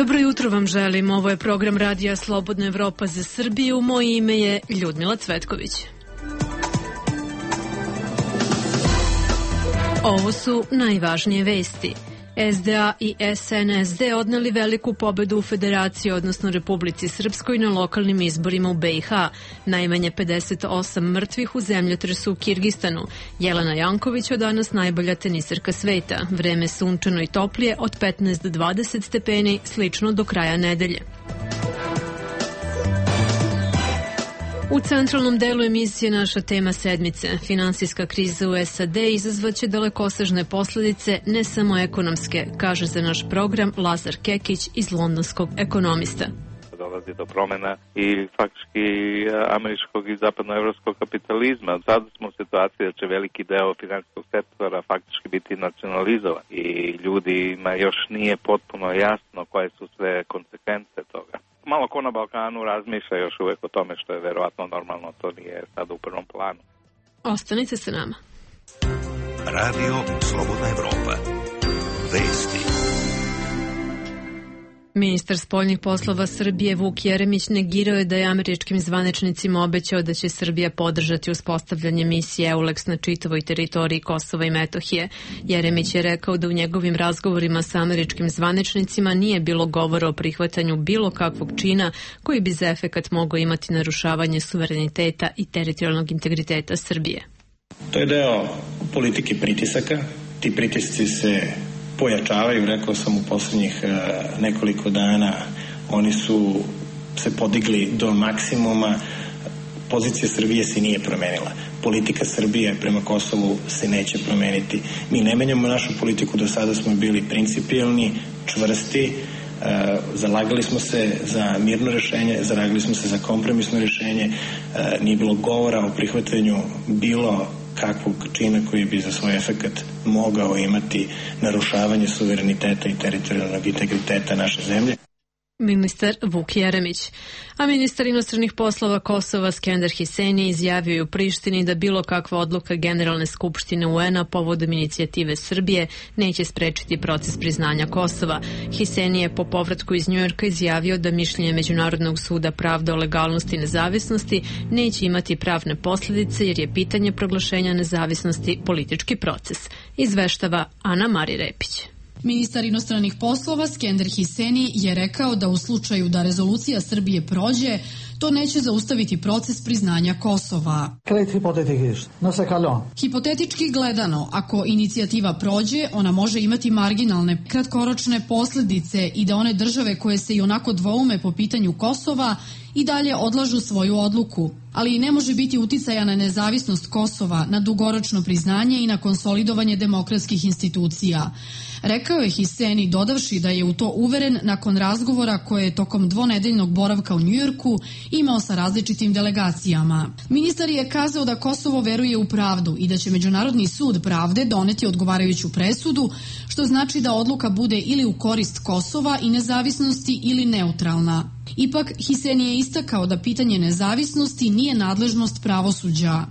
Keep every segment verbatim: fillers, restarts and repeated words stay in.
Dobro jutro vam želim. Ovo je program Radija Slobodna Evropa za Srbiju. Moje ime je Ljudmila Cvetković. Ovo su najvažnije vesti. S D A i S N S D odneli veliku pobedu u Federaciji, odnosno Republici Srpskoj, na lokalnim izborima u B i H. Najmanje pedeset osam mrtvih u zemljotresu u Kirgistanu. Jelena Janković od danas najbolja teniserka sveta. Vreme sunčano i toplije od petnaest do dvadeset stepeni, slično do kraja nedelje. U centralnom delu emisije naša tema sedmice. Finansijska kriza u S A D izazvaće dalekosežne posledice, ne samo ekonomske, kaže za naš program Lazar Kekić iz londonskog ekonomista. Dolazi do promjena i faktički američkog i zapadnoevropskog kapitalizma. Sada smo u situaciji da će veliki deo finansijskog sektora faktički biti nacionalizovan i ljudima još nije potpuno jasno koje su sve konsekvence toga. Malo ko na Balkanu razmišlja još uvek o tome što je verovatno normalno, to nije sad u prvom planu. Ostanite sa nama. Radio Slobodna Evropa. Vesti. Ministar spoljnih poslova Srbije Vuk Jeremić negirao je da je američkim zvaničnicima obećao da će Srbija podržati uspostavljanje misije EULEX na čitavoj teritoriji Kosova i Metohije. Jeremić je rekao da u njegovim razgovorima sa američkim zvaničnicima nije bilo govora o prihvatanju bilo kakvog čina koji bi za efekat mogao imati narušavanje suvereniteta i teritorijalnog integriteta Srbije. To je deo politike pritisaka. Ti pritisci se pojačavaju, rekao sam u posljednjih nekoliko dana, oni su se podigli do maksimuma. Pozicija Srbije se nije promenila. Politika Srbije prema Kosovu se neće promeniti. Mi ne menjamo našu politiku, do sada smo bili principijelni, čvrsti, zalagali smo se za mirno rješenje, zalagali smo se za kompromisno rješenje, nije bilo govora o prihvatanju bilo kakvog čina koji bi za svoj efekat mogao imati narušavanje suvereniteta i teritorijalnog integriteta naše zemlje. Ministar Vuk Jeremić. A ministar inostranih poslova Kosova Skender Hiseni izjavio je u Prištini da bilo kakva odluka Generalne skupštine U N-a povodom inicijative Srbije neće sprečiti proces priznanja Kosova. Hiseni je po povratku iz Njujorka izjavio da mišljenje Međunarodnog suda pravde o legalnosti i nezavisnosti neće imati pravne posljedice jer je pitanje proglašenja nezavisnosti politički proces. Izveštava Ana Mari Repić. Ministar inostranih poslova Skender Hiseni je rekao da u slučaju da rezolucija Srbije prođe, to neće zaustaviti proces priznanja Kosova. Hipotetički gledano, ako inicijativa prođe, ona može imati marginalne kratkoročne posljedice i da one države koje se i onako dvoume po pitanju Kosova i dalje odlažu svoju odluku, ali i ne može biti uticaja na nezavisnost Kosova, na dugoročno priznanje i na konsolidovanje demokratskih institucija. Rekao je Hiseni, dodavši da je u to uveren nakon razgovora koje je tokom dvonedeljnog boravka u Njujorku imao sa različitim delegacijama. Ministar je kazao da Kosovo veruje u pravdu i da će Međunarodni sud pravde doneti odgovarajuću presudu, što znači da odluka bude ili u korist Kosova i nezavisnosti ili neutralna. Ipak, Hiseni je istakao da pitanje nezavisnosti nije nadležnost pravosuđa.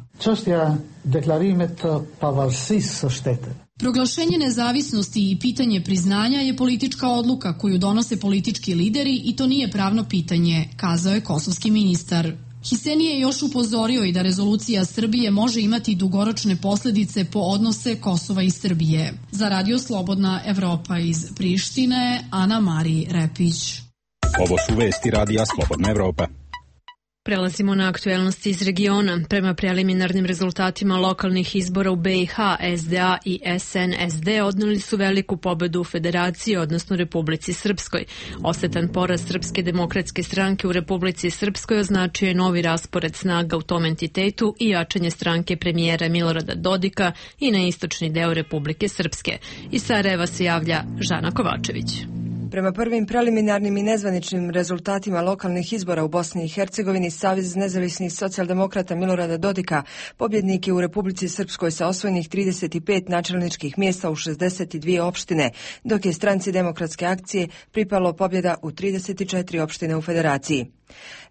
Proglašenje nezavisnosti i pitanje priznanja je politička odluka koju donose politički lideri i to nije pravno pitanje, kazao je kosovski ministar. Hiseni je još upozorio i da rezolucija Srbije može imati dugoročne posljedice po odnose Kosova i Srbije. Za Radio Slobodna Evropa iz Prištine, Ana Mari Repić. Ovo su vesti Radija Slobodna Evropa. Prelazimo na aktuelnosti iz regiona. Prema preliminarnim rezultatima lokalnih izbora u B i H, S D A i S N S D odneli su veliku pobedu u Federaciji, odnosno Republici Srpskoj. Osetan poraz Srpske demokratske stranke u Republici Srpskoj označio je novi raspored snaga u tom entitetu i jačanje stranke premijera Milorada Dodika i na istočni deo Republike Srpske. Iz Sarajeva se javlja Žana Kovačević. Prema prvim preliminarnim i nezvaničnim rezultatima lokalnih izbora u Bosni i Hercegovini, Savez nezavisnih socijaldemokrata Milorada Dodika pobjednik je u Republici Srpskoj sa osvojenih trideset pet načelničkih mjesta u šezdeset dvije opštine, dok je stranci Demokratske akcije pripalo pobjeda u trideset četiri opštine u Federaciji.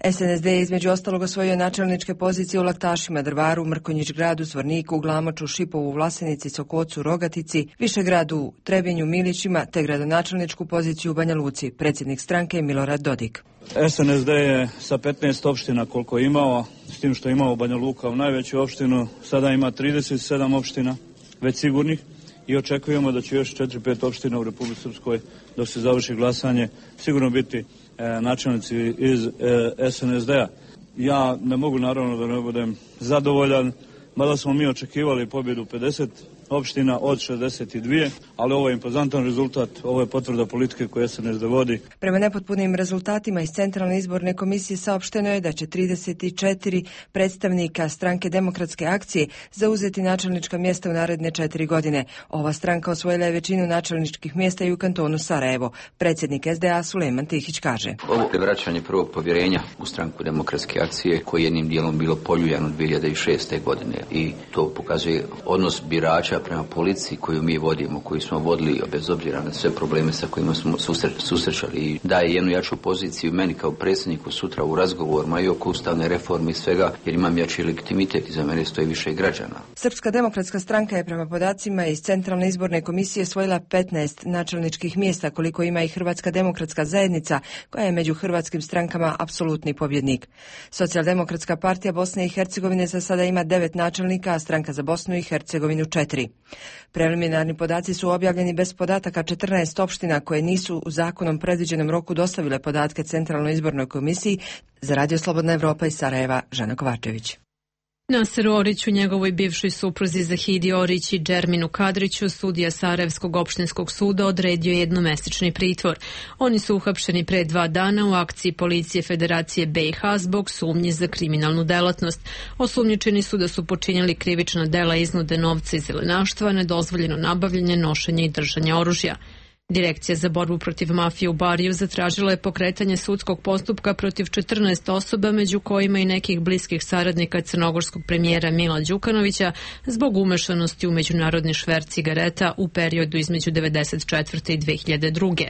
S N S D je između ostalog osvojio načelničke pozicije u Laktašima, Drvaru, Mrkonjić gradu, Zvorniku, Glamoču, Šipovu, Vlasenici, Sokocu, Rogatici, Višegradu, Trebinju, Milićima te gradonačelničku poziciju u Banja Luci. Predsjednik stranke Milorad Dodik. S N S D je sa petnaest opština koliko je imao, s tim što je imao Banja Luka u najveću opštinu, sada ima trideset sedam opština već sigurnih i očekujemo da će još četiri pet opština u Republici Srpskoj dok se završi glasanje sigurno biti e, načelnici iz e, S N S D-a. Ja ne mogu naravno da ne budem zadovoljan, mada smo mi očekivali pobjedu pedeset opština od šezdeset dvije, ali ovo je impozantan rezultat, ovo je potvrda politike koje S N S D vodi. Prema nepotpunim rezultatima iz Centralne izborne komisije saopšteno je da će trideset četiri predstavnika stranke Demokratske akcije zauzeti načelnička mjesta u naredne četiri godine. Ova stranka osvojila je većinu načelničkih mjesta i u kantonu Sarajevo. Predsjednik S D A Sulejman Tihić kaže: Ovo je vraćanje prvog povjerenja u stranku Demokratske akcije koji je jednim dijelom bilo poljuljano dvije hiljade šeste. godine i to pokazuje odnos birača prema policiji koju mi vodimo, koju smo vodili bez obzira na sve probleme sa kojima smo susre, susrećali i daje jednu jaču poziciju meni kao predsjedniku sutra u razgovorima i oko ustavne reforme i svega, jer imam jači legitimitet i za mene stoji više građana. Srpska demokratska stranka je prema podacima iz Centralne izborne komisije osvojila petnaest načelničkih mjesta koliko ima i Hrvatska demokratska zajednica koja je među hrvatskim strankama apsolutni pobjednik. Socijaldemokratska partija Bosne i Hercegovine za sada ima devet načelnika, a stranka za Bosnu i Hercegovinu četiri. Preliminarni podaci su objavljeni bez podataka četrnaest opština koje nisu u zakonom predviđenom roku dostavile podatke Centralnoj izbornoj komisiji. Za Radio Slobodna Evropa iz Sarajeva, Žana Kovačević. Naseru Oriću, njegovoj bivšoj supruzi Zahidi Orić i Džerminu Kadriću, sudija Sarajevskog opštinskog suda odredio jednomesečni pritvor. Oni su uhapšeni pre dva dana u akciji policije Federacije B i H zbog sumnji za kriminalnu delatnost. Osumnjičeni su da su počinjali krivična dela iznude novca i zelenaštva, nedozvoljeno nabavljanje, nošenje i držanje oružja. Direkcija za borbu protiv mafije u Bariju zatražila je pokretanje sudskog postupka protiv četrnaest osoba, među kojima i nekih bliskih saradnika crnogorskog premijera Mila Đukanovića, zbog umešanosti u međunarodni šverc cigareta u periodu između devedeset četvrte i dve hiljade druge.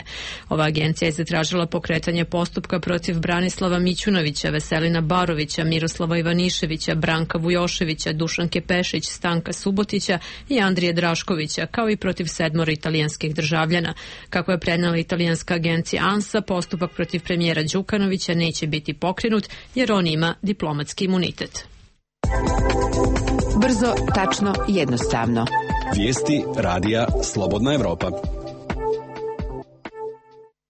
Ova agencija je zatražila pokretanje postupka protiv Branislava Mićunovića, Veselina Barovića, Miroslava Ivaniševića, Branka Vujoševića, Dušanke Pešić, Stanka Subotića i Andrije Draškovića, kao i protiv sedmoro italijanskih državljana. Kako je prenela italijanska agencija ANSA, postupak protiv premijera Đukanovića neće biti pokrenut jer on ima diplomatski imunitet. Brzo, tačno, jednostavno. Vijesti radija Slobodna Evropa.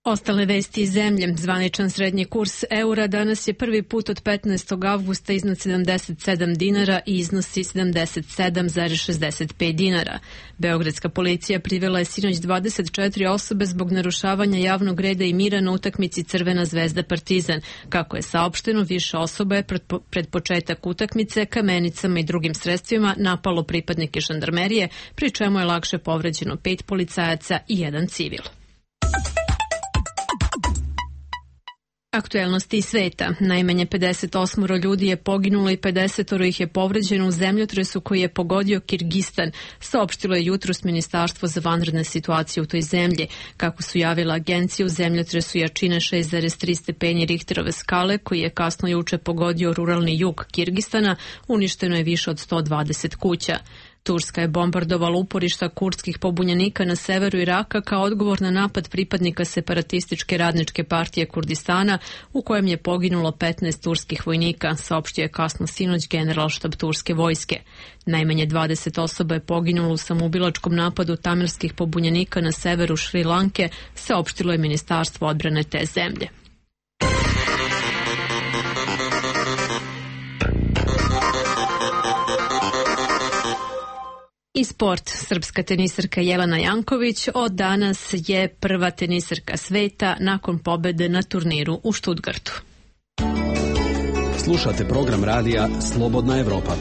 Ostale vesti iz zemlje. Zvaničan srednji kurs eura danas je prvi put od petnaestog avgusta iznad sedamdeset sedam dinara i iznosi sedamdeset sedam zarez šezdeset pet dinara. Beogradska policija privela je sinoć dvadeset četiri osobe zbog narušavanja javnog reda i mira na utakmici Crvena zvezda Partizan. Kako je saopšteno, više osoba je pred, pred početak utakmice kamenicama i drugim sredstvima napalo pripadnike žandarmerije, pri čemu je lakše povređeno pet policajaca i jedan civil. Aktuelnosti iz sveta. Najmanje pedeset osam ljudi je poginulo i pedeset ih je povređeno u zemljotresu koji je pogodio Kirgistan, saopštilo je jutros Ministarstvo za vanredne situacije u toj zemlji. Kako su javila agencija, u zemljotresu jačine šest zarez tri stepeni Richterove skale, koji je kasno juče pogodio ruralni jug Kirgistana, uništeno je više od sto dvadeset kuća. Turska je bombardovala uporišta kurdskih pobunjenika na severu Iraka kao odgovor na napad pripadnika separatističke radničke partije Kurdistana, u kojem je poginulo petnaest turskih vojnika, saopštio je kasno sinoć generalštab turske vojske. Najmanje dvadeset osoba je poginulo u samoubilačkom napadu tamirskih pobunjenika na severu Šri Lanke, saopštilo je Ministarstvo odbrane te zemlje. I sport. Srpska tenisarka Jelena Janković od danas je prva tenisarka sveta nakon pobede na turniru u Stuttgartu. Slušate program radija Slobodna Evropa.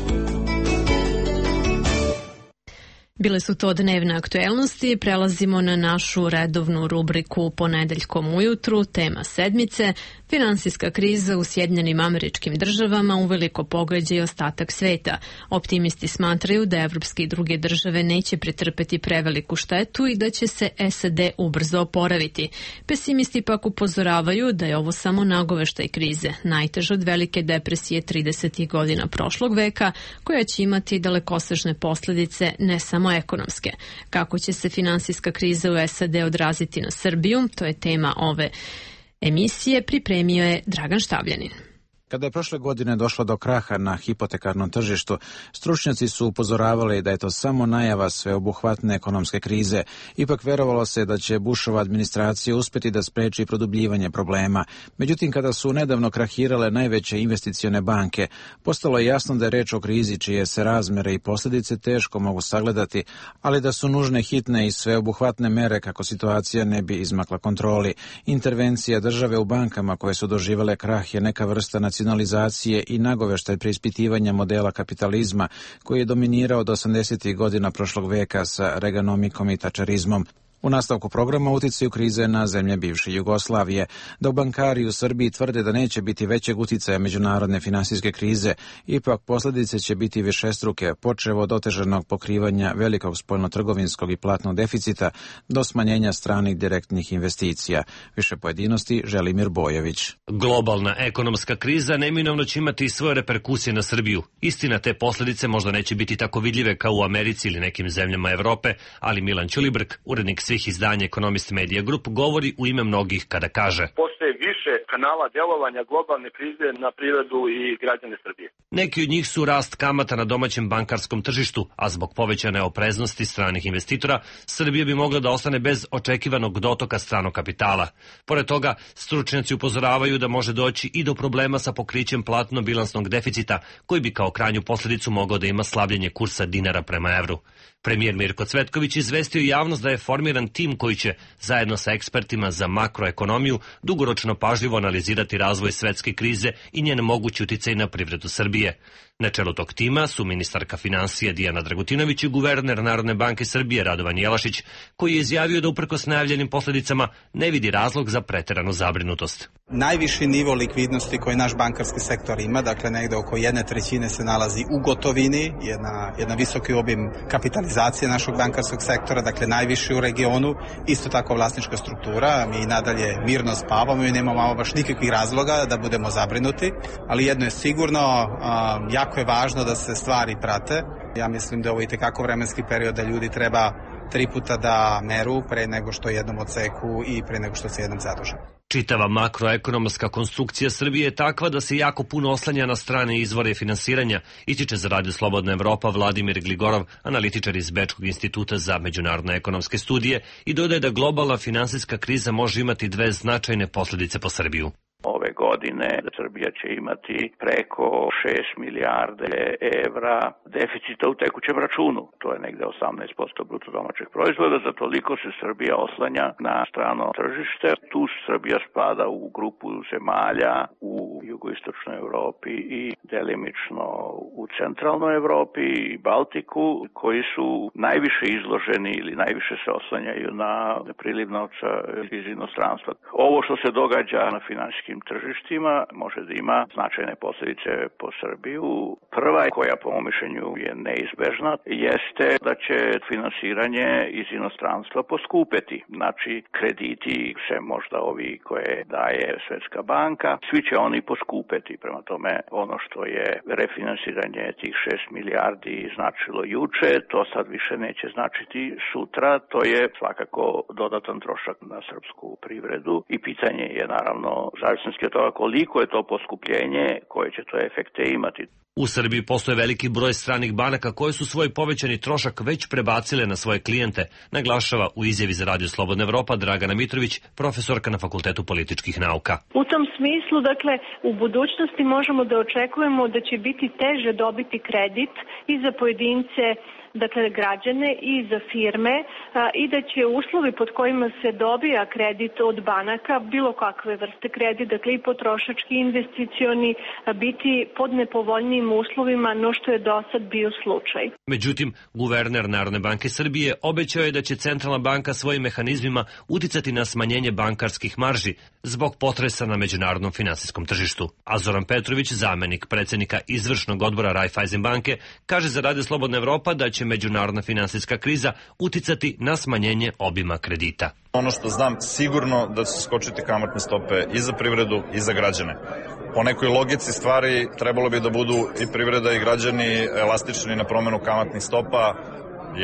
Bile su to dnevne aktuelnosti, prelazimo na našu redovnu rubriku Ponedeljkom ujutru, tema sedmice. Finansijska kriza u Sjedinjenim Američkim Državama uveliko pogađa i ostatak sveta. Optimisti smatraju da evropske i druge države neće pretrpeti preveliku štetu i da će se S A D ubrzo oporaviti. Pesimisti pak upozoravaju da je ovo samo nagoveštaj krize, najteža od velike depresije tridesetih godina prošlog veka, koja će imati dalekosežne posljedice ne samo ekonomske. Kako će se finansijska kriza u S A D odraziti na Srbiju, to je tema ove emisije, pripremio je Dragan Štavljanin. Kada je prošle godine došlo do kraha na hipotekarnom tržištu, stručnjaci su upozoravali da je to samo najava sveobuhvatne ekonomske krize. Ipak verovalo se da će Bushova administracija uspjeti da spreči produbljivanje problema. Međutim, kada su nedavno krahirale najveće investicione banke, postalo je jasno da je reč o krizi čije se razmere i posljedice teško mogu sagledati, ali da su nužne hitne i sveobuhvatne mere kako situacija ne bi izmakla kontroli. Intervencija države u bankama koje su doživjele krah je neka vrsta nacionalizacije i nagoveštaj preispitivanja modela kapitalizma koji je dominirao do osamdesetih godina prošlog veka sa reganomikom i tačerizmom. U nastavku programa uticaju krize na zemlje bivše Jugoslavije. Dok bankari u Srbiji tvrde da neće biti većeg uticaja međunarodne finansijske krize, ipak posljedice će biti višestruke, počev od otežanog pokrivanja velikog spoljnotrgovinskog i platnog deficita do smanjenja stranih direktnih investicija. Više pojedinosti Želimir Bojović. Globalna ekonomska kriza neminovno će imati i svoje reperkusije na Srbiju. Istina, te posljedice možda neće biti tako vidljive kao u Americi ili nekim zemljama Evrope, ali Milan Ćulibrk, urednik svih izdanja Economist Media Group, govori u ime mnogih kada kaže: postoje više kanala djelovanja globalne krize na privredu i građane Srbije. Neki od njih su rast kamata na domaćem bankarskom tržištu, a zbog povećane opreznosti stranih investitora, Srbija bi mogla da ostane bez očekivanog dotoka stranog kapitala. Pored toga, stručnjaci upozoravaju da može doći i do problema sa pokrićem platno-bilansnog deficita, koji bi kao krajnju posljedicu mogao da ima slabljenje kursa dinara prema evru. Premijer Mirko Cvetković izvestio javnost da je formiran tim koji će, zajedno sa ekspertima za makroekonomiju, dugoročno pažljivo analizirati razvoj svetske krize i njen mogući uticaj na privredu Srbije. Na čelu tog tima su ministarka finansija Dijana Dragutinović i guverner Narodne banke Srbije Radovan Jelašić, koji je izjavio da uprkos najavljenim posljedicama ne vidi razlog za preteranu zabrinutost. Najviši nivo likvidnosti koji naš bankarski sektor ima, dakle negde oko jedne trećine se nalazi u gotovini, jedna, jedna visoki obim kapitalizacije našog bankarskog sektora, dakle najviši u regionu, isto tako vlasnička struktura, mi nadalje mirno spavamo i nemamo baš nikakvih razloga da budemo zabrinuti, ali jedno je sigurno, a, jako je važno da se stvari prate. Ja mislim da ovo je itekako vremenski period da ljudi treba tri puta da meru pre nego što jednom odseku i pre nego što se jednom zaduže. Čitava makroekonomska konstrukcija Srbije je takva da se jako puno oslanja na strane izvore finansiranja, ističe za Radio Slobodna Evropa Vladimir Gligorov, analitičar iz Bečkog instituta za međunarodne ekonomske studije, i dodaje da globalna finansijska kriza može imati dve značajne posljedice po Srbiju. Ove godine Srbija će imati preko šest milijarde evra deficita u tekućem računu. To je negde osamnaest posto bruto domaćeg proizvoda, za toliko se Srbija oslanja na strano tržište. Tu Srbija spada u grupu zemalja u jugoistočnoj Evropi i delimično u centralnoj Evropi i Baltiku, koji su najviše izloženi ili najviše se oslanjaju na priliv novca iz inostranstva. Ovo što se događa na finansijskim tržištima može da ima značajne posljedice po Srbiju. Prva, koja po mom mišljenju je neizbežna, jeste da će finansiranje iz inostranstva poskupeti. Znači, krediti, sve možda ovi koje daje Svetska banka, svi će oni poskupeti. Prema tome, ono što je refinansiranje tih šest milijardi značilo juče, to sad više neće značiti sutra. To je svakako dodatan trošak na srpsku privredu i pitanje je naravno zavisnosti od toga koliko je to poskupljenje, koje će to efekte imati. U Srbiji postoje veliki broj stranih banaka koje su svoj povećani trošak već prebacile na svoje klijente, naglašava u izjavi za Radio Slobodna Evropa Dragana Mitrović, profesorka na Fakultetu političkih nauka. U tom smislu, dakle, u budućnosti možemo da očekujemo da će biti teže dobiti kredit i za pojedince dakle, građane i za firme i da će uslovi pod kojima se dobija kredit od banaka, bilo kakve vrste kredit, dakle i potrošački, investicioni, biti pod nepovoljnijim uslovima no što je do sad bio slučaj. Međutim, guverner Narodne banke Srbije obećao je da će centralna banka svojim mehanizmima uticati na smanjenje bankarskih marži zbog potresa na međunarodnom finansijskom tržištu. A Zoran Petrović, zamenik predsjednika izvršnog odbora Raiffeisen banke, kaže za Radio Slobodna Evropa da će međunarodna finansijska kriza uticati na smanjenje obima kredita. Ono što znam sigurno da će skočiti kamatne stope i za privredu i za građane. Po nekoj logici stvari trebalo bi da budu i privreda i građani elastični na promenu kamatnih stopa.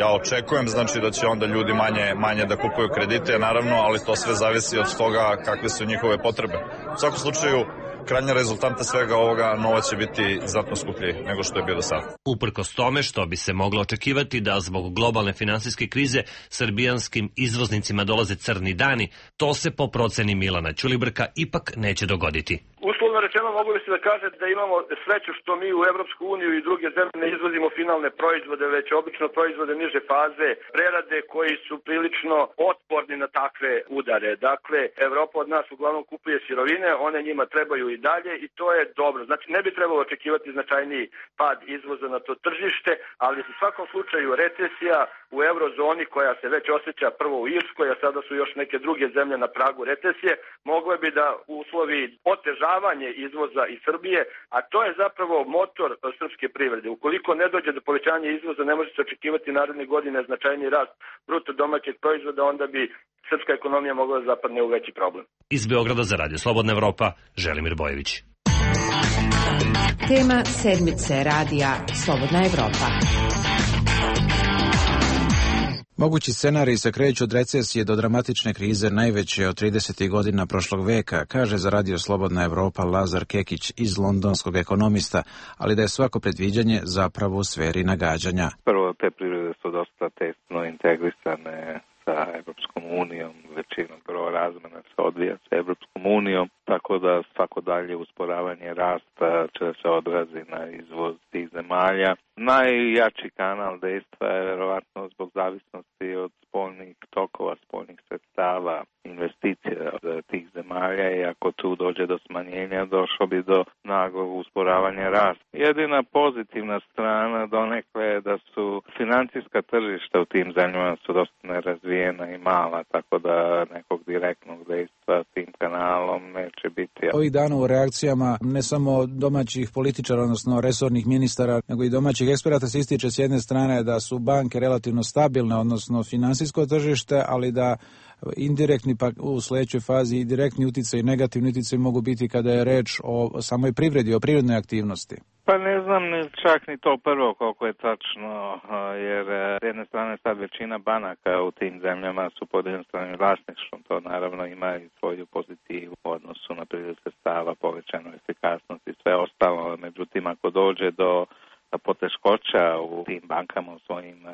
Ja očekujem znači da će onda ljudi manje, manje da kupuju kredite, naravno, ali to sve zavisi od toga kakve su njihove potrebe. U svakom slučaju, krajnja rezultanta svega ovoga, novac će biti znatno skuplji nego što je bio do sada. Uprkos tome što bi se moglo očekivati da zbog globalne finansijske krize srbijanskim izvoznicima dolaze crni dani, to se po proceni Milana Ćulibrka ipak neće dogoditi. Uslovno rečeno mogu bi se da kaže da imamo sreću što mi u Evropsku uniju i druge zemlje ne izvozimo finalne proizvode, već obično proizvode niže faze prerade koji su prilično otporni na takve udare. Dakle, Evropa od nas uglavnom kupuje sirovine, one njima trebaju i dalje i to je dobro. Znači, ne bi trebalo očekivati značajniji pad izvoza na to tržište, ali u svakom slučaju recesija u eurozoni koja se već osjeća prvo u Irskoj, a sada su još neke druge zemlje na pragu recesije, mogle bi da uslovi otežavanje izvoza iz Srbije, a to je zapravo motor srpske privrede. Ukoliko ne dođe do povećanja izvoza, ne može se očekivati naredne godine značajni rast bruto domaćeg proizvoda, onda bi srpska ekonomija mogla da zapadne u veći problem. Iz Beograda za Radio Slobodna Evropa, Želimir Bojević. Tema sedmice Radija Slobodna Evropa. Mogući scenariji se kreću od recesije do dramatične krize najveće od tridesetih godina prošlog veka, kaže za Radio Slobodna Evropa Lazar Kekić iz londonskog ekonomista, ali da je svako predviđanje zapravo u sferi nagađanja. Prvo, te privrede su dosta tesno integrisane sa Evropskom unijom, većinom prvo razmena se odvija sa Evropskom unijom, tako da svako dalje usporavanje rasta će se odrazi na izvoz tih zemalja. Najjači kanal dejstva je verovatno zbog zavisnosti od spoljnih tokova, spoljnih sredstava, investicija od tih zemalja i ako tu dođe do smanjenja, došlo bi do naglog usporavanja rasta. Jedina pozitivna strana donekle je da su financijska tržišta u tim zemljama su dosta nerazvijena i mala, tako da nekog direktnog dejstva tim kanalom neće biti. Ovih dana u reakcijama ne samo domaćih političara, odnosno resornih ministara, nego i domaćih eksperata se ističe s jedne strane da su banke relativno stabilne, odnosno finansijsko tržište, ali da indirektni pa u sledećoj fazi i direktni uticaj i negativni uticaj mogu biti kada je reč o samoj privredi, o privrednoj aktivnosti. Pa ne znam čak ni to prvo koliko je tačno, jer s jedne strane sad većina banaka u tim zemljama su pod jednostranim vlasništvom, to naravno ima i svoju pozitivu u odnosu na priliv sredstava, povećanu efikasnost i sve ostalo, međutim ako dođe do poteškoća u tim bankama u svojim uh,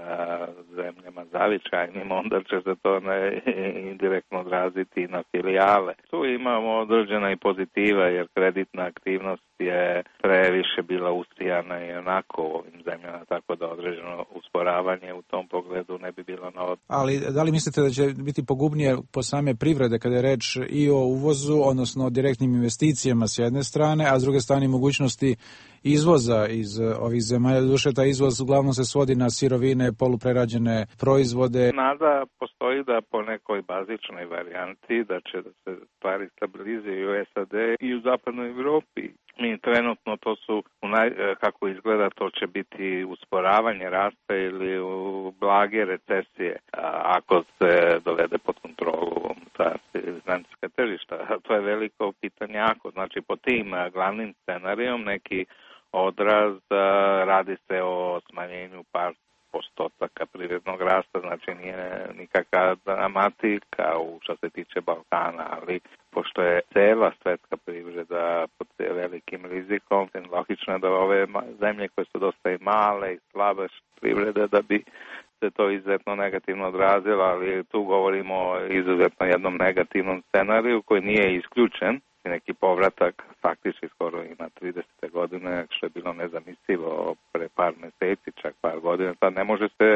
zemljama zavičajnim, onda će se to ne, indirektno odraziti na filijale. Tu imamo određena i pozitiva jer kreditna aktivnost je previše bila ustrijana i onako u ovim zemljama, tako da određeno usporavanje u tom pogledu ne bi bilo na od... Ali da li mislite da će biti pogubnije po same privrede kada je reč i o uvozu, odnosno o direktnim investicijama s jedne strane, a s druge strane mogućnosti izvoza iz ovih zemalja? Duše, taj izvoz uglavnom se svodi na sirovine, poluprerađene proizvode. Nada postoji da po nekoj bazičnoj varijanti da će da se stvari stabilizuju u S A D i u zapadnoj Evropi. Mi trenutno to su, kako izgleda, to će biti usporavanje rasta ili u blage recesije ako se dovede pod kontrolu ta financijska tržišta. To je veliko pitanje ako, znači po tim glavnim scenarijom neki odraz radi se o smanjenju par postotaka privrednog rasta, znači nije nikakva dramatika u što se tiče Balkana, ali pošto je cela svetska privreda pod velikim rizikom, logično je da ove zemlje koje su dosta i male i slabe privrede da bi se to izuzetno negativno odrazilo, ali tu govorimo o izuzetno jednom negativnom scenariju koji nije isključen neki povratak, faktički skoro ima tridesete godine, što je bilo nezamislivo pre par meseci, čak par godina, tad ne može se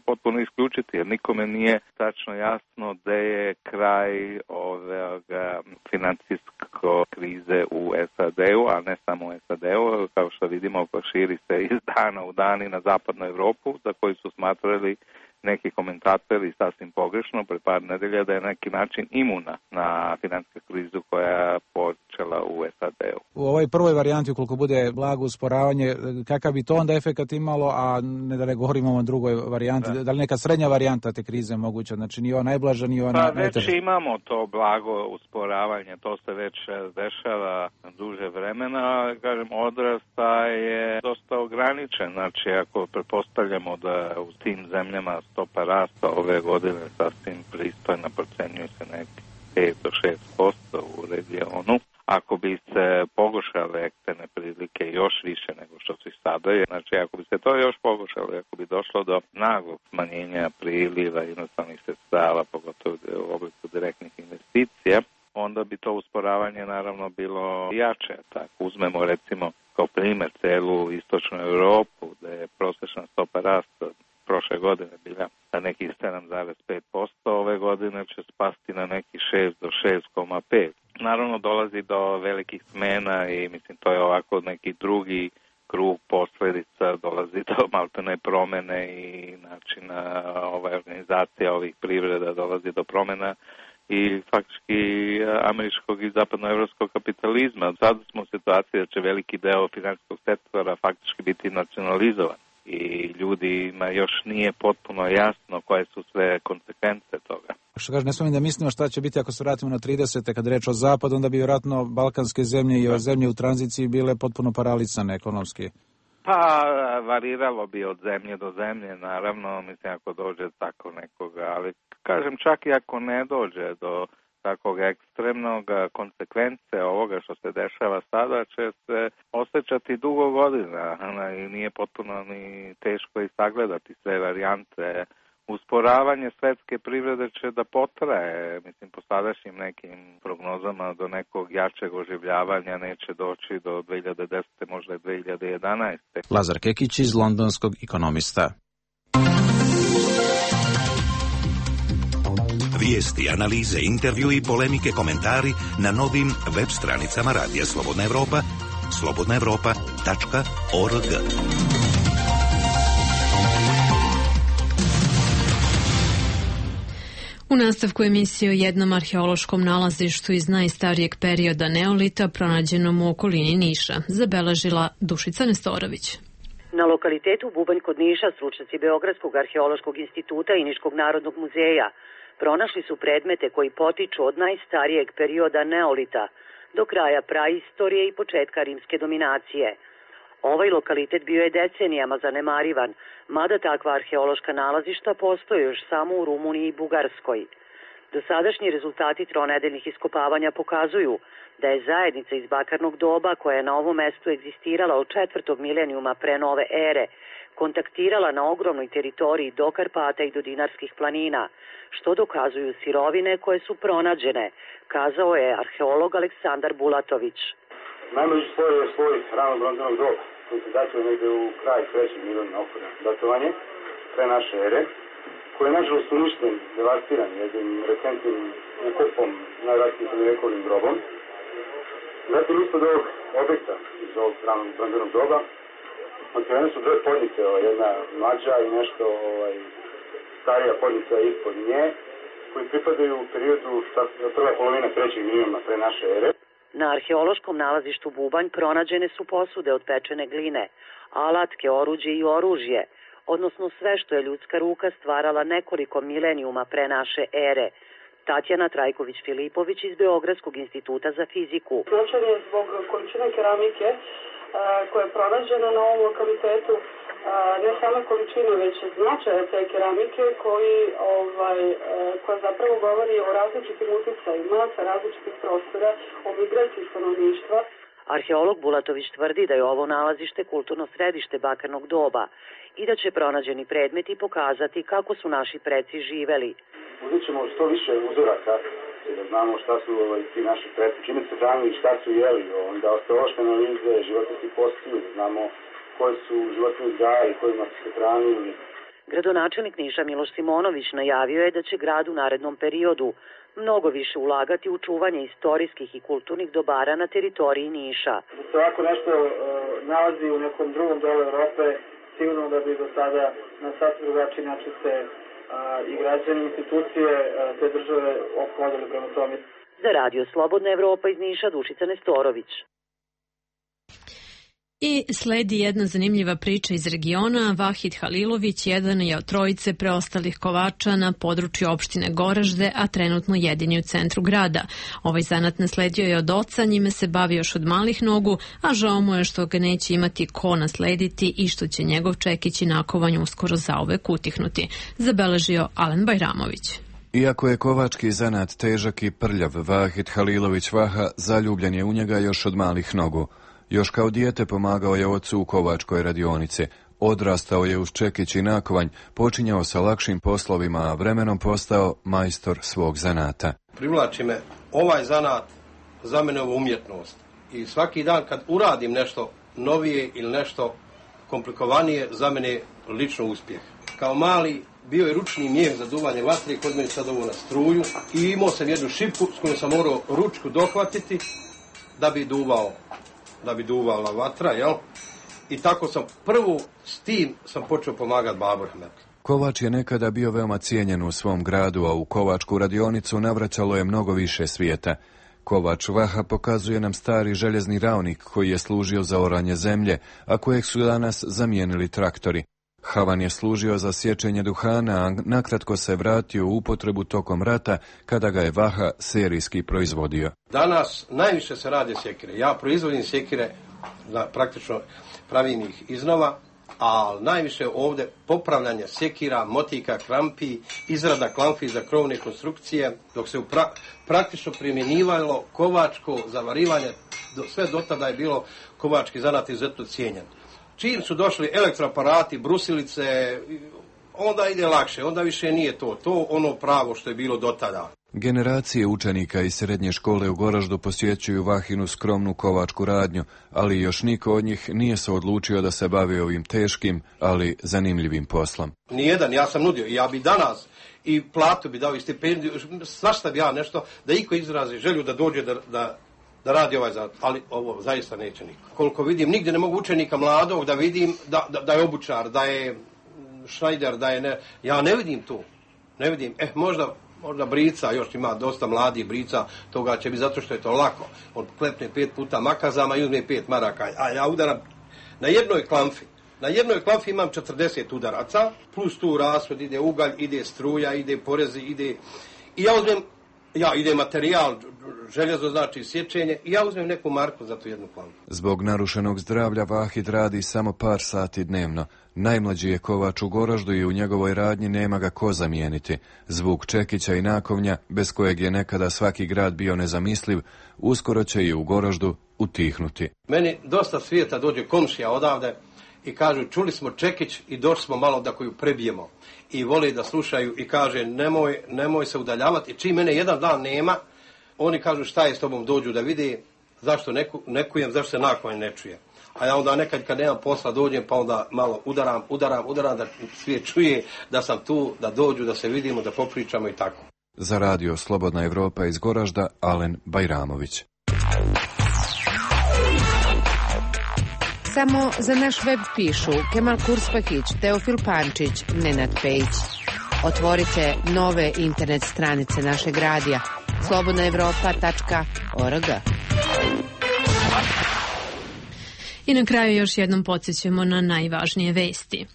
potpuno isključiti, jer nikome nije tačno jasno gde je kraj ove financijsko krize u S A D-u, a ne samo u S A D-u, kao što vidimo, širi se iz dana u dan i na zapadnu Evropu, za koju su smatrali neki komentatori sasvim pogrešno pre par nedelja da je neki način imuna na finansijsku krizu koja je počela u S A D-u. U ovoj prvoj varijanti, ukoliko bude blago usporavanje, kakav bi to onda efekat imalo, a ne da ne govorimo o drugoj varijanti, da, da li neka srednja varijanta te krize moguća, znači ni ova najblaža, ni ova najteža? Pa već imamo to blago usporavanje, to se već dešava duže vremena, kažem, odrasta je dosta ograničen, znači ako pretpostavljamo da u tim zemljama stopa rasta ove godine sasvim pristojna, procenjuje se neki pet do šest posto u regionu. Ako bi se pogoršale eksterne prilike još više nego što su i sada je, znači ako bi se to još pogoršalo, ako bi došlo do naglog smanjenja priliva inostranih sredstava, pogotovo u obliku direktnih investicija, onda bi to usporavanje naravno bilo jače. Tako uzmemo recimo kao primer celu istočnu Europu, gde je prosječna stopa rasta prošle godine bila na nekih sedam zarez pet posto, ove godine će spasti na nekih šest do šest zarez pet. Naravno dolazi do velikih smena i mislim to je ovako neki drugi krug posledica, dolazi do maltene promene i načina ova organizacija ovih privreda, dolazi do promena i faktički američkog i zapadnoevropskog kapitalizma. Sada smo u situaciji da će veliki deo finansijskog sektora faktički biti nacionalizovan. I ljudima još nije potpuno jasno koje su sve konsekvence toga. Što kaže, ne smemo da mislimo šta će biti ako se vratimo na tridesete kad reč o zapadu, onda bi vjerojatno balkanske zemlje i ove zemlje u tranziciji bile potpuno paralisane ekonomski. Pa variralo bi od zemlje do zemlje, naravno, mislim ako dođe tako nekoga, ali kažem čak i ako ne dođe do takvog ekstremnog konsekvence ovoga što se dešava sada će se osjećati dugo godina i nije potpuno ni teško i sagledati sve varijante. Usporavanje svetske privrede će da potraje, mislim po sadašnjim nekim prognozama do nekog jačeg oživljavanja neće doći do dve hiljade desete. možda i dve hiljade jedanaeste. Lazar Kekić iz Londonskog Ekonomista. Vijesti, analize, intervju i polemike, komentari na novim web stranicama Radija Slobodna Evropa, slobodna evropa tačka org. U nastavku emisije o jednom arheološkom nalazištu iz najstarijeg perioda neolita pronađenom u okolini Niša, zabeležila Dušica Nestorović. Na lokalitetu Bubanj kod Niša stručnjaci Beogradskog arheološkog instituta i Niškog narodnog muzeja pronašli su predmete koji potiču od najstarijeg perioda neolita do kraja praistorije i početka rimske dominacije. Ovaj lokalitet bio je decenijama zanemarivan, mada takva arheološka nalazišta postoje još samo u Rumuniji i Bugarskoj. Dosadašnji rezultati tronedeljnih iskopavanja pokazuju da je zajednica iz bakarnog doba koja je na ovom mestu egzistirala od četvrtog milenijuma pre nove ere, kontaktirala na ogromnoj teritoriji do Karpata i do Dinarskih planina, što dokazuju sirovine koje su pronađene, kazao je arheolog Aleksandar Bulatović. Najmlađi sloj je sloj rano bronzanog doba, koji se datuje negde u kraj trećeg milijuna okvirno datovanje, pre naše ere, koji je nažalost uništen, devastiran jednim recentnim ukopom, najvratnijim srednjovekovnim grobom. Zatim ispod ovog objekta iz ovog rano bronzanog doba otkrivene su dve podnice, jedna mlađa i nešto ovaj, starija podnica ispod nje, koji pripadaju u periodu prva polovina trećeg milijuna pre naše ere. Na arheološkom nalazištu Bubanj pronađene su posude od pečene gline, alatke, oruđe i oružje, odnosno sve što je ljudska ruka stvarala nekoliko milenijuma pre naše ere. Tatjana Trajković-Filipović iz Beogradskog instituta za fiziku. Značaj je zbog količine keramike koja je pronađena na ovom lokalitetu, ne samo količine, već značaja te keramike koji, ovaj, koja zapravo govori o različitim uticajima sa različitih prostora, o migraciji stanovništva. Arheolog Bulatović tvrdi da je ovo nalazište kulturno središte bakarnog doba i da će pronađeni predmeti pokazati kako su naši preci živeli. Uzet ćemo što više uzoraka da znamo šta su ovaj, ti naši predsi, čime se hranili, šta su jeli, onda osteološke analize, životinjski postiju, da znamo koji su životni uzgaji, kojima su se hranili. Gradonačelnik Niša Miloš Simonović najavio je da će grad u narednom periodu mnogo više ulagati u čuvanje istorijskih i kulturnih dobara na teritoriji Niša. Da se ovako nešto uh, nalazi u nekom drugom delu Evrope, sigurno da bi do sada na sasvim drugačiji način se uh, i građani, institucije uh, te države ophodili prema tome. Za Radio Slobodna Evropa iz Niša, Dušica Nestorović. I sledi jedna zanimljiva priča iz regiona. Vahid Halilović jedan je od trojice preostalih kovača na području opštine Goražde, a trenutno jedini u centru grada. Ovaj zanat nasledio je od oca, njime se bavi još od malih nogu, a žao mu je što ga neće imati ko naslediti i što će njegov čekić i nakovanje uskoro zauvek utihnuti, zabeležio Alen Bajramović. Iako je kovački zanat težak i prljav, Vahid Halilović Vaha zaljubljen je u njega još od malih nogu. Još kao dijete pomagao je ocu u kovačkoj radionici. Odrastao je uz čekić i nakovanj, počinjao sa lakšim poslovima, a vremenom postao majstor svog zanata. Privlači me ovaj zanat, za mene ovo umjetnost. I svaki dan kad uradim nešto novije ili nešto komplikovanije, za mene lično uspjeh. Kao mali bio je ručni mijeh za duvanje vatre, kod mene sad ovo na struju, i imao sam jednu šipku s kojom sam morao ručku dohvatiti da bi duvao. da bi duvala vatra, jel? I tako sam prvo s tim sam počeo pomagati babu rahmetli. Kovač je nekada bio veoma cijenjen u svom gradu, a u kovačku radionicu navraćalo je mnogo više svijeta. Kovač Vaha pokazuje nam stari željezni ravnik koji je služio za oranje zemlje, a kojeg su danas zamijenili traktori. Havan je služio za sječenje duhana, a nakratko se vratio u upotrebu tokom rata kada ga je Vaha serijski proizvodio. Danas najviše se rade sjekire. Ja proizvodim sjekire, praktično pravim ih iznova, a najviše ovdje popravljanje sjekira, motika, krampi, izrada klamfi za krovne konstrukcije, dok se pra, praktično primjenjivalo kovačko zavarivanje, do, sve do tada je bilo kovački zanat izuzetno cijenjen. Čim su došli elektroaparati, brusilice, onda ide lakše, onda više nije to, to ono pravo što je bilo do tada. Generacije učenika iz srednje škole u Goraždu posjećuju Vahinu skromnu kovačku radnju, ali još niko od njih nije se odlučio da se bavi ovim teškim, ali zanimljivim poslom. Nijedan, ja sam nudio, ja bi danas i platu bi dao i stipendiju, svašta bi ja nešto, da iko izrazi želju da dođe da, da, da radi ovaj zanat, ali ovo zaista neće niko. Koliko vidim, nigdje ne mogu učenika mladog da vidim da, da, da je obučar, da je šnajder, da je ne, ja ne vidim tu, ne vidim, eh možda Možda brica, još ima dosta mladih brica, toga će biti zato što je to lako. On klepne pet puta makazama i uzme pet maraka, a ja udaram na jednoj klamfi. Na jednoj klamfi imam četrdeset udaraca, plus tu rashod, ide ugalj, ide struja, ide porezi, ide... I ja uzmem, ja, ide materijal, željezo znači sječenje, i ja uzmem neku marku za tu jednu klamfu. Zbog narušenog zdravlja Vahid radi samo par sati dnevno. Najmlađi je kovač u Goraždu i u njegovoj radnji nema ga ko zamijeniti. Zvuk čekića i nakovnja, bez kojeg je nekada svaki grad bio nezamisliv, uskoro će i u Goraždu utihnuti. Meni dosta svijeta dođe komšija odavde i kažu čuli smo čekić i došli smo malo da koju prebijemo. I vole da slušaju i kaže nemoj, nemoj se udaljavati. Čim mene jedan dan nema, oni kažu šta je s tobom, dođu da vide zašto neku, nekujem, zašto se nakon ne čuje. A ja onda nekad kad nemam posla dođem pa onda malo udaram, udaram, udaram da svijet čuje da sam tu, da dođu, da se vidimo, da popričamo i tako. Za Radio Slobodna Evropa iz Goražda, Alen Bajramović. Samo za naš web pišu Kemal Kurspahić, Teofil Pančić, Nenad Pejić. Otvorite nove internet stranice našeg radija slobodna evropa tačka org. I na kraju još jednom podsjećamo na najvažnije vesti.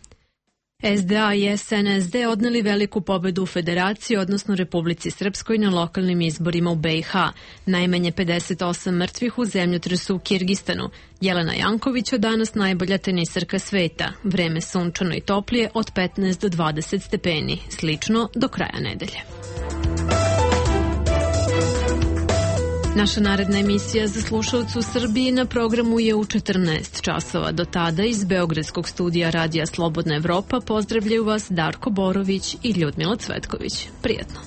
S D A i S N S D odneli veliku pobedu u Federaciji, odnosno Republici Srpskoj, na lokalnim izborima u B i H. Najmanje pedeset osam mrtvih u zemljotresu u Kirgistanu. Jelena Janković od danas najbolja tenisarka sveta. Vreme sunčano i toplije od petnaest do dvadeset stepeni. Slično do kraja nedelje. Naša naredna emisija za slušalce u Srbiji na programu je u četrnaest časova. Do tada iz Beogradskog studija Radija Slobodna Evropa pozdravljaju vas Darko Borović i Ljudmila Cvetković. Prijetno.